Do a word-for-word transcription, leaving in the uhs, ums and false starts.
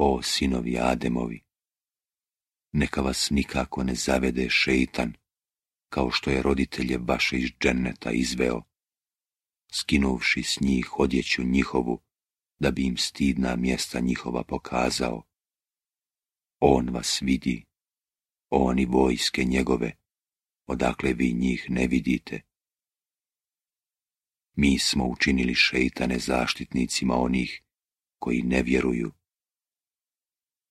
O sinovi Ademovi, neka vas nikako ne zavede šeitan, kao što je roditelje vaše iz dženneta izveo, skinuvši s njih odjeću njihovu, da bi im stidna mjesta njihova pokazao. On vas vidi, on i vojske njegove, odakle vi njih ne vidite. Mi smo učinili šeitane zaštitnicima onih koji ne vjeruju